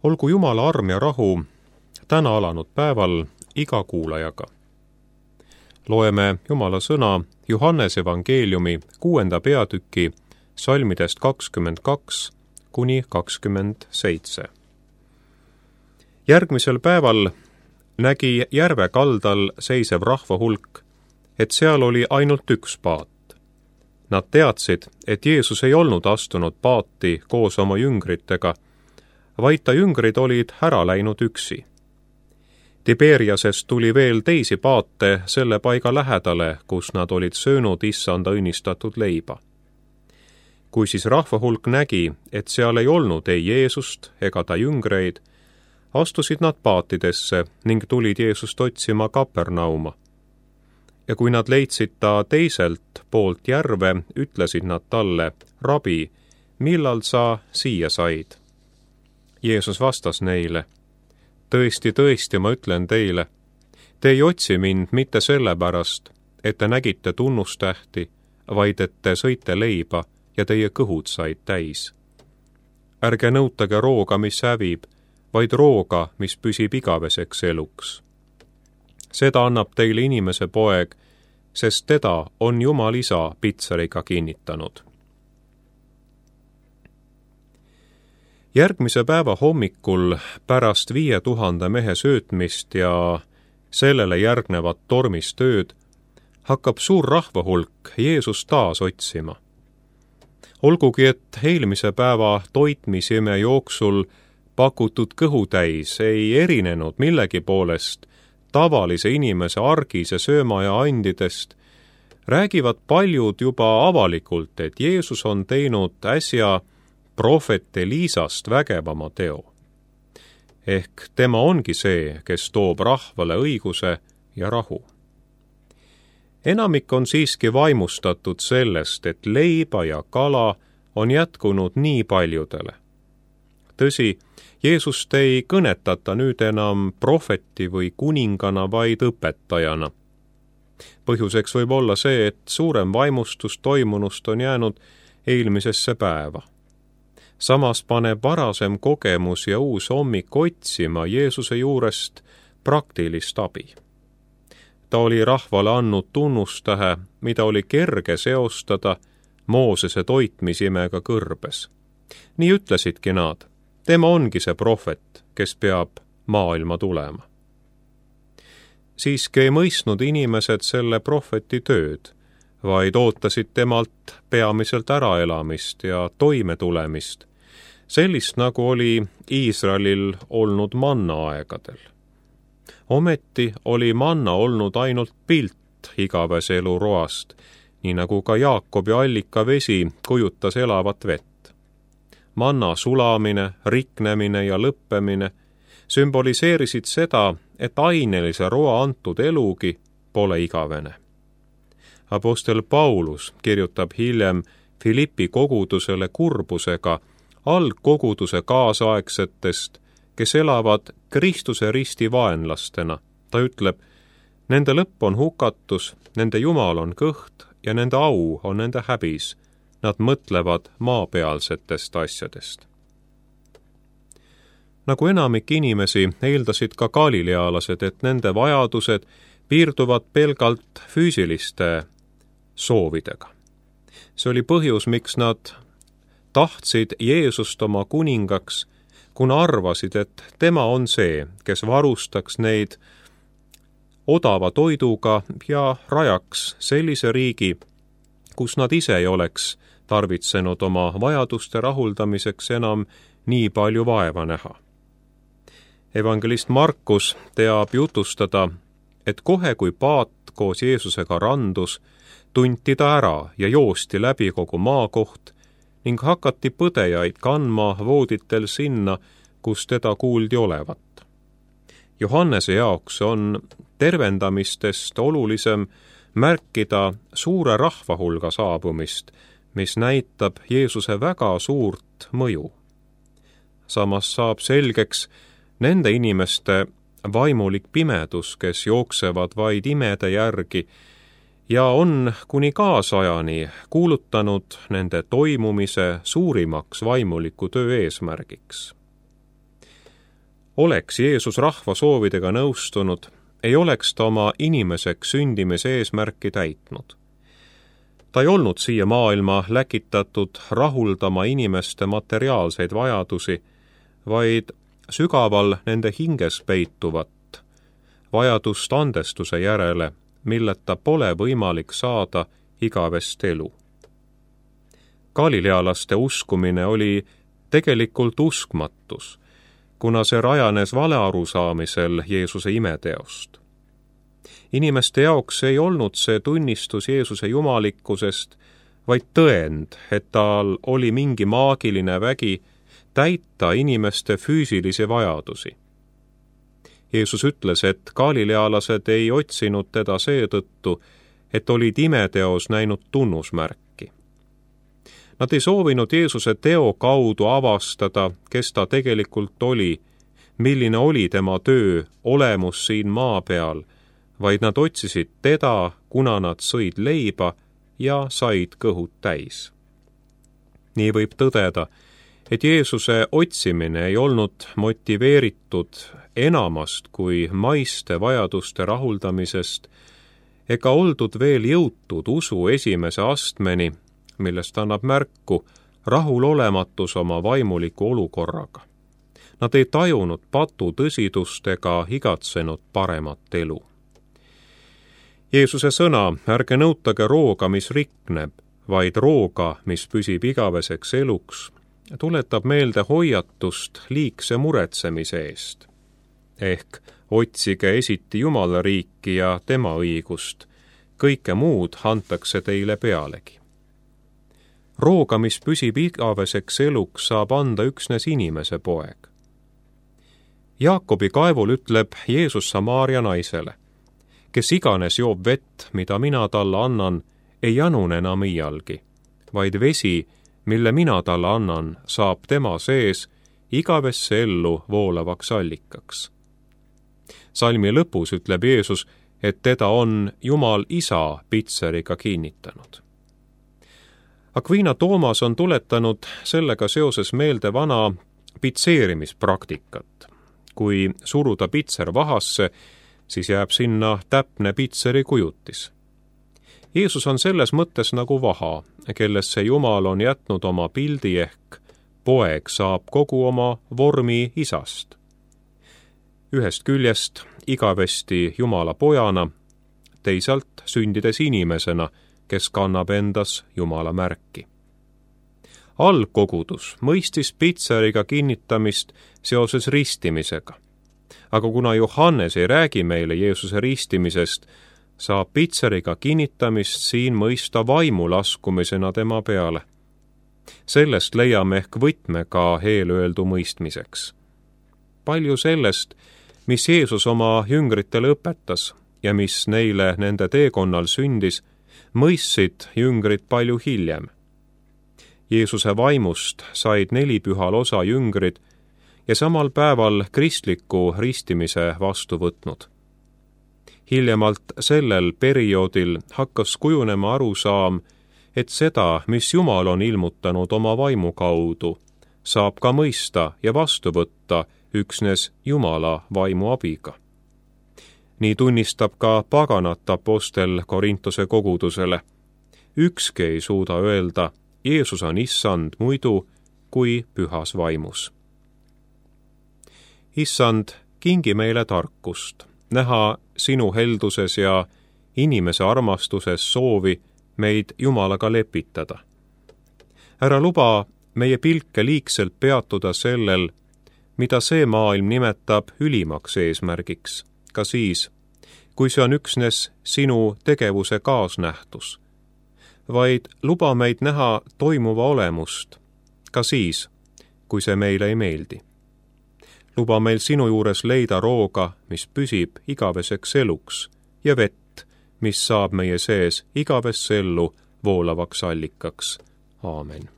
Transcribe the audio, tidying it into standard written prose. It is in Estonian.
Olgu Jumala arm ja rahu täna alanud päeval iga kuulajaga. Loeme Jumala sõna Johannese evangeeliumi 6. peatüki salmidest 22 kuni 27. Järgmisel päeval nägi järve kaldal seisev rahvahulk, et seal oli ainult üks paat. Nad teadsid, et Jeesus ei olnud astunud paati koos oma jüngritega, vaid ta jüngrid olid ära läinud üksi. Tiberiasest tuli veel teisi paate selle paiga lähedale, kus nad olid söönud issanda õnnistatud leiba. Kui siis rahvahulk nägi, et seal ei olnud ei Jeesust ega ta jüngreid, astusid nad paatidesse ning tulid Jeesust otsima Kapernauma. Ja kui nad leidsid ta teiselt poolt järve, ütlesid nad talle, Rabi, millal sa siia said? Jeesus vastas neile, tõesti, tõesti, ma ütlen teile, te ei otsi mind mitte sellepärast, et te nägite tunnustähti, vaid et te sõite leiba ja teie kõhud said täis. Ärge nõutage rooga, mis hävib, vaid rooga, mis püsib igaveseks eluks. Seda annab teile inimese poeg, sest teda on Jumal isa pitseriga kinnitanud. Järgmise päeva hommikul pärast 5000 mehe söötmist ja sellele järgnevat tormistööd hakkab suur rahvahulk Jeesust taas otsima. Olgugi, et eelmise päeva toitmisime jooksul pakutud kõhutäis ei erinenud millegi poolest tavalise inimese argise sööma ja andidest, räägivad paljud juba avalikult, et Jeesus on teinud äsja prohvet Eliisast vägevama teo. Ehk tema ongi see, kes toob rahvale õiguse ja rahu. Enamik on siiski vaimustatud sellest, et leiba ja kala on jätkunud nii paljudele. Tõsi, Jeesust ei kõnetata nüüd enam prohveti või kuningana, vaid õpetajana. Põhjuseks võib olla see, et suurem vaimustus toimunust on jäänud eelmisesse päeva. Samas paneb varasem kogemus ja uus hommik otsima Jeesuse juurest praktilist abi. Ta oli rahvale andnud tunnustähe, mida oli kerge seostada Moosese toitmisimega kõrbes. Nii ütlesidki nad, tema ongi see prohvet, kes peab maailma tulema. Siiski ei mõistnud inimesed selle prohveti tööd, vaid ootasid temalt peamiselt äraelamist ja toimetulemist, sellist nagu oli Iisraelil olnud manna aegadel. Ometi oli manna olnud ainult pilt igavese elu roast, nii nagu ka Jaakobi allikavesi kujutas elavat vett. Manna sulamine, riknemine ja lõppemine sümboliseerisid seda, et ainelise roa antud elugi pole igavene. Apostel Paulus kirjutab hiljem Filippi kogudusele kurbusega algkoguduse kaasaegsetest, kes elavad Kristuse risti vaenlastena. Ta ütleb, nende lõpp on hukatus, nende Jumal on kõht ja nende au on nende häbis. Nad mõtlevad maapealsetest asjadest. Nagu enamik inimesi eeldasid ka galilealased, et nende vajadused piirduvad pelgalt füüsiliste soovidega. See oli põhjus, miks nad tahtsid Jeesust oma kuningaks, kuna arvasid, et tema on see, kes varustaks neid odava toiduga ja rajaks sellise riigi, kus nad ise ei oleks tarvitsenud oma vajaduste rahuldamiseks enam nii palju vaeva näha. Evangelist Markus teab jutustada, et kohe kui paat koos Jeesusega randus, tunti ta ära ja joosti läbi kogu maakoht ning hakati põdejaid kandma vooditel sinna, kus teda kuuldi olevat. Johannese jaoks on tervendamistest olulisem märkida suure rahvahulga saabumist, mis näitab Jeesuse väga suurt mõju. Samas saab selgeks nende inimeste vaimulik pimedus, kes jooksevad vaid imede järgi ja on kuni kaasajani kuulutanud nende toimumise suurimaks vaimuliku töö eesmärgiks. oleks Jeesus rahva soovidega nõustunud, ei oleks ta oma inimeseks sündimise eesmärki täitnud. Ta ei olnud siia maailma läkitatud rahuldama inimeste materiaalseid vajadusi, vaid sügaval nende hinges peituvat vajadust andestuse järele, milleta pole võimalik saada igavest elu. Galilealaste uskumine oli tegelikult uskmatus, kuna see rajanes valearusaamisel Jeesuse imeteost. Inimeste jaoks ei olnud see tunnistus Jeesuse jumalikkusest, vaid tõend, et tal oli mingi maagiline vägi täita inimeste füüsilisi vajadusi. Jeesus ütles, et galilealased ei otsinud teda seetõttu, et olid imeteos näinud tunnusmärki. Nad ei soovinud Jeesuse teo kaudu avastada, kes ta tegelikult oli, milline oli tema töö olemus siin maa peal, vaid nad otsisid teda, kuna nad sõid leiba ja said kõhud täis. Nii võib tõdeda, et Jeesuse otsimine ei olnud motiveeritud enamast kui maiste vajaduste rahuldamisest ega oldud veel jõutud usu esimese astmeni, millest annab märku rahulolematus oma vaimuliku olukorraga. Nad ei tajunud patu tõsidust ega igatsenud paremat elu. Jeesuse sõna, ärge nõutage rooga, mis rikneb, vaid rooga, mis püsib igaveseks eluks, tuletab meelde hoiatust liigse muretsemise eest. Ehk otsige esiti Jumala riiki ja tema õigust, kõike muud antakse teile pealegi. Rooga, mis püsib igaveseks eluks, saab anda üksnes inimese poeg. Jaakobi kaevul ütleb Jeesus Samaaria naisele, kes iganes joob vett, mida mina talle annan, ei janune enam iialgi, vaid vesi, mille mina talle annan, saab tema sees igavesse ellu voolavaks allikaks. Salmi lõpus ütleb Jeesus, et teda on Jumal Isa pitseriga kinnitanud. Aquina Toomas on tuletanud sellega seoses meelde vana pitseerimispraktikat. Kui suruda pitser vahasse, siis jääb sinna täpne pitseri kujutis. Jeesus on selles mõttes nagu vaha, kellesse Jumal on jätnud oma pildi ehk poeg saab kogu oma vormi Isast. Ühest küljest igavesti Jumala pojana, teisalt sündides inimesena, kes kannab endas Jumala märki. Algkogudus mõistis pitseriga kinnitamist seoses ristimisega. Aga kuna Johannes ei räägi meile Jeesuse ristimisest, saab pitseriga kinnitamist siin mõista vaimu laskumisena tema peale. Sellest leiame ehk võtme ka eelöeldu mõistmiseks. Palju sellest, mis Jeesus oma jüngritele õpetas ja mis neile nende teekonnal sündis, mõistsid jüngrid palju hiljem. Jeesuse vaimust said 4 pühal osa jüngrid ja samal päeval kristliku ristimise vastu võtnud. Hiljemalt sellel perioodil hakkas kujunema arusaam, et seda, mis Jumal on ilmutanud oma vaimu kaudu, saab ka mõista ja vastu võtta üksnes Jumala vaimu abiga. Nii tunnistab ka paganat apostel Korintuse kogudusele. Ükski ei suuda öelda, Jeesus on issand muidu kui pühas vaimus. Issand, kingi meile tarkust, näha sinu helduses ja inimese armastuses soovi meid Jumalaga lepitada. Ära luba meie pilke liigselt peatuda sellel, mida see maailm nimetab ülimaks eesmärgiks, ka siis, kui see on üksnes sinu tegevuse kaasnähtus, vaid luba meid näha toimuva olemust, ka siis, kui see meile ei meeldi. Luba meil sinu juures leida rooga, mis püsib igaveseks eluks, ja vett, mis saab meie sees igavesse ellu voolavaks allikaks. Aamen.